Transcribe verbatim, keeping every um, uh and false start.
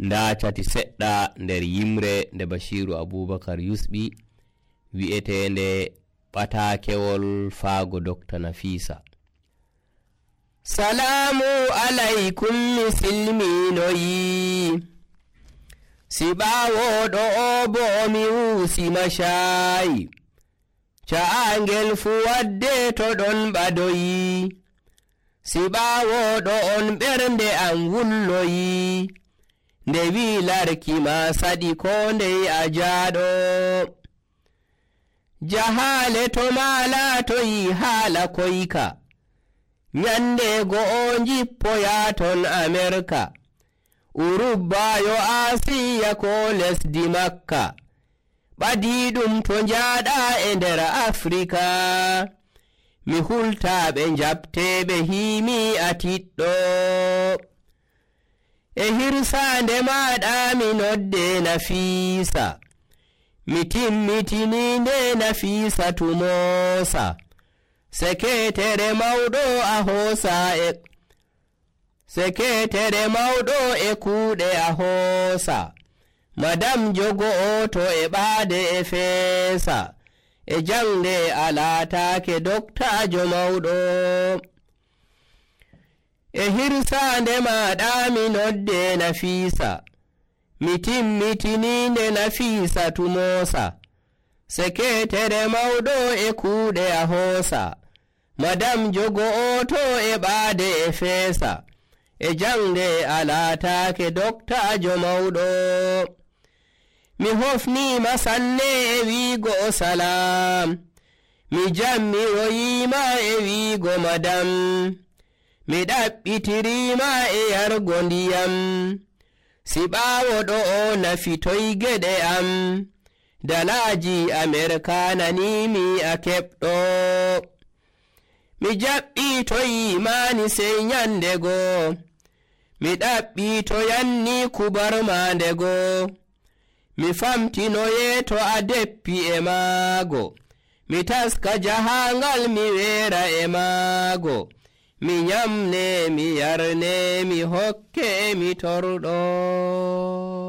ndacati seɗɗa nder yimre nde Bashiru Abubakar Yusɓi wi'etende ɓatakewol faago Doctor Nafisa. Salamu alaikum misilminoyi, siɓawoɗo o bo mi wusi mashayi, ca'angel fu wadde to ɗon ɓadoyi, siɓawoɗo on ɓernde an wulloyi, nde wi larki ma saɗi ko ndey a jaaɗo, jahale to ma laatoyi haala koyka, nyande go'o jippoya ton Amerika, urubbayo Asiya ko lesdi Makka, ɓadiɗum to njaaɗa e nder Afrika, mi hultaɓe njabteɓe himi a tiɗɗo, e hirsande maɗa mi nodde Nafisa, mi timmitininde Nafisa tumosa, seketere mawɗo a hoosa e seketere mawɗo e kuuɗe a hoosa, madam jogo o to e ɓaade e feesa, e jangde a laataake doktajo mawɗo, e hirsande maɗa mi nodde Nafisa, mi timmitininde Nafisa tumosa, seketere mawɗo e kuuɗe a hoosa, madam jogo o to e ɓaade e feesa, e jangde a laataake doktajo mawɗo, mi hofnima sanne e wiigo salam, mi jammiroyima e wiigo madam, mi ɗaɓɓitirima e yargo ndiyam, siɓawoɗo o nafitoy geɗe am, dalaji Amerikananimi a keɓɗo, mi jaɓɓitoyimani sey nyandego, mi ɗaɓɓitoyanni kubar mandego, mi famtinoye to a deppi e maago, mi taska jahangal mi weera e maago, mi nyamne mi yarne mi hokke mi torɗo.